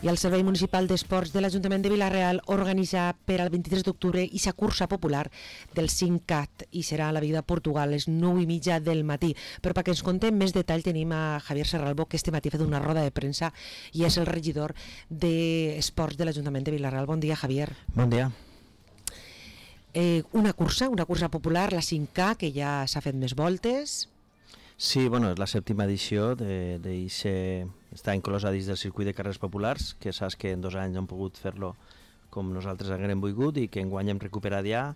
I el Servei Municipal d'Esports de l'Ajuntament de Vila-real organitza per al 23 d'octubre aquesta cursa popular del 5CAT i serà a la Vida Portugal a les 9:30 del matí. Però perquè ens contem més detall tenim a Javier Serralbo, que este matí ha fet una roda de premsa i és el regidor d'Esports de l'Ajuntament de Vila-real. Bon dia, Javier. Bon dia. Una cursa popular, la 5K, que ja s'ha fet més voltes. Sí, bueno, és la 7ª edició està inclosa dins del circuit de carreres populars, que saps que en 2 anys hem pogut fer-lo com nosaltres haguem volgut i que enguany hem recuperat ja.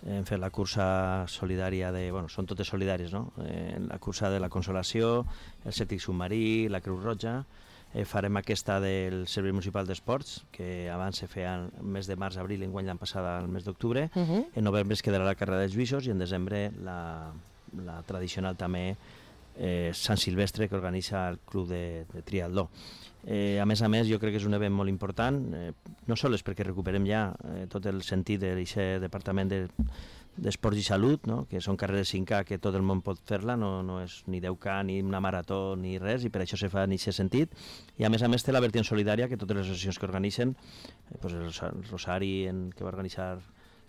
Hem fet la cursa solidària són totes solidàries, no? La cursa de la Consolació, el Cètic Submarí, la Creu Roja. Farem aquesta del Servei Municipal d'Esports, que abans se feia el mes de març-abril, enguany l'any passat al mes d'octubre. En novembre es quedarà la carrera dels Lluïsos i en desembre la tradicional també Sant Silvestre, que organitza el Club de Triatló. A més, jo crec que és un event molt important, no sols perquè recuperem ja tot el sentit d'aquest departament d'Esports i Salut, no? Que són carreres 5K que tot el món pot fer-la, no és ni 10K, ni una marató, ni res, i per això se fa en aquest sentit. I a més té la vertiente solidària, que totes les associacions que organitzen, el Rosari, que va organitzar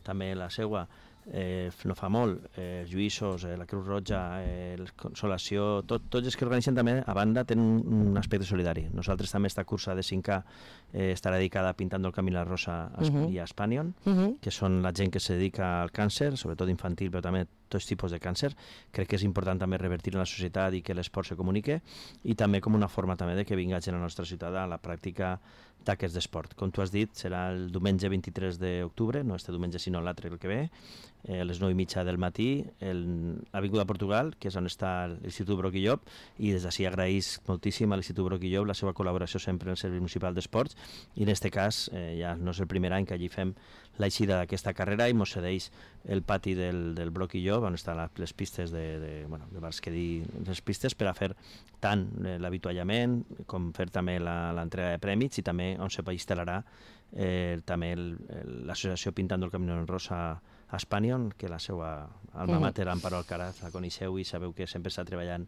també la seua, no fa molt, els Lluïsos, la Creu Roja, la Consolació, tots els que organitzen també, a banda, tenen un aspecte solidari. Nosaltres també esta cursa de 5K estarà dedicada a Pintando el Camí la Rosa i a Spanion, que són la gent que se dedica al càncer, sobretot infantil, però també tots tipus de càncer. Crec que és important també revertir en la societat i que l'esport se comunique, i també com una forma també de que vinga gent a la nostra ciutat a la pràctica d'aquest d'esport. Com tu has dit, serà el diumenge 23 d'octubre, no este diumenge sinó l'altre el que ve, a les 9:30 del matí, a l'Avinguda Portugal, que és on està l'Institut Broc i Llop, i des d'ací agraïs moltíssim a l'Institut Broc i Llop la seva col·laboració sempre en el Servei Municipal d'Esports, i en aquest cas ja no és el primer any que allí fem l'eixida d'aquesta carrera i mos cedeix el pati del Broc i Llop, on estan les pistes les pistes per a fer tant l'avituallament com fer també l'entrega de prèmits, i també on se instal·larà també l'associació Pintando el Camí Rosa a Spanion, que la seva alma mater, Amparo Alcaraz, la coneixeu i sabeu que sempre està treballant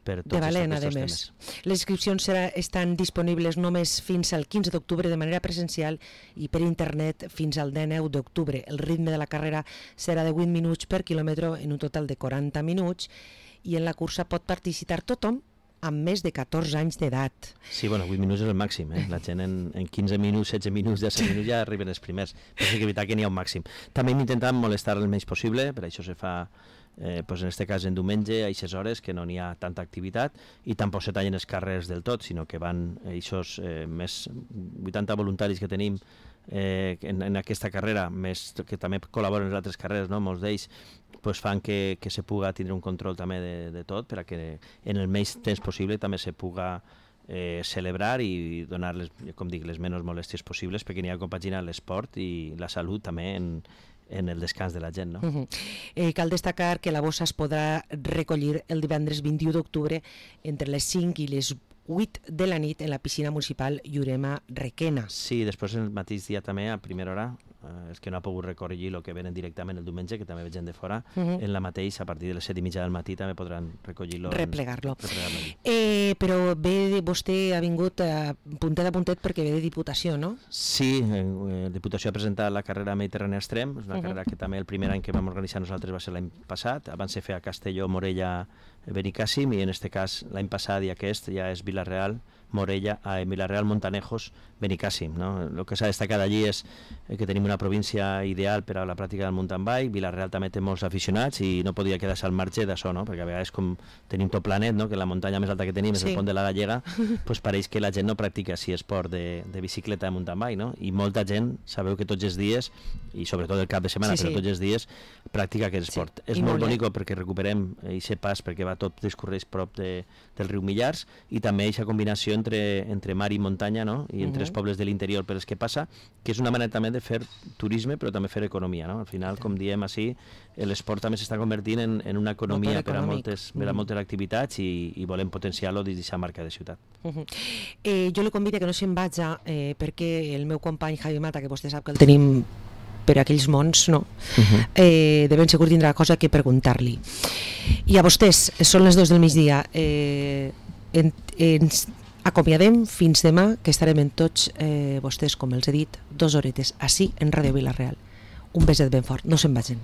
per tots aquests temes. Les inscripcions estan disponibles només fins al 15 d'octubre de manera presencial i per internet fins al 19 d'octubre. El ritme de la carrera serà de 8 minuts per quilòmetre en un total de 40 minuts, i en la cursa pot participar tothom amb més de 14 anys d'edat. Sí, 8 minuts és el màxim, la gent en 15 minuts, 16 minuts, 17 minuts ja arriben els primers, però sí que és veritat que n'hi ha un màxim. També hem intentat molestar el menys possible, per això se fa en aquest cas en diumenge, a aquestes hores que no n'hi ha tanta activitat, i tampoc se tallen els carrers del tot, sinó que van aquests més 80 voluntaris que tenim en aquesta carrera, més que també col·laboren en les altres carreres, no? Molts d'ells fan que se puga tindre un control també de tot, perquè en el menys temps possible també se puga celebrar i donar les menys molèsties possibles, perquè n'hi ha compaginar l'esport i la salut també en el descans de la gent, no? Cal destacar que la bossa es podrà recollir el divendres 21 d'octubre entre les 5 i les 8 de la nit en la piscina municipal Llurema Requena. Sí, després el mateix dia també, a primera hora, els que no ha pogut recollir el que venen directament el diumenge, que també ve gent de fora, en la mateix, a partir de les 7:30 del matí també podran recollir-lo. Replegar-lo. Però vostè ha vingut puntet a puntet perquè ve de Diputació, no? Sí, Diputació ha presentat la carrera Mediterrània Extrem, és una carrera que també el primer any que vam organitzar nosaltres va ser l'any passat, abans se feia a Castelló, Morella, Benicàssim, i en aquest cas l'any passat i aquest ja és Vila-real, Vila-real, Montanejos, Benicàssim, no? El que s'ha destacat allí és que tenim una província ideal per a la pràctica del mountain bike. Vila-real també té molts aficionats i no podia quedar-se al marge d'això, no? Perquè a vegades com tenim tot planet, no? Que la muntanya més alta que tenim és el Pont de la Gallega, pareix que la gent no practica així esport de bicicleta de mountain bike, no? I molta gent, sabeu que tots els dies, i sobretot el cap de setmana, però tots els dies practica aquest esport. És molt bonic perquè recuperem aquest pas, perquè tot discorreix prop del riu Millars, i també aquesta combinació entre mar i muntanya, no? I entre els pobles de l'interior per els que passa, que és una manera també de fer turisme però també fer economia, no? Al final, com diem així, l'esport també s'està convertint en una economia per a moltes activitats i volem potenciar-lo des d'aquesta marca de ciutat. Jo li convido que no se'n vaja perquè el meu company Javi Mata, que vostè sap que el tenim per aquells mons, no? De ben segur tindrà cosa que preguntar-li. I a vostès, són les 2 del migdia, Acomiadem fins demà, que estarem en tots vostès, com els he dit, 2 horetes, així en Ràdio Vila-real. Un beset ben fort, no se'n vagin.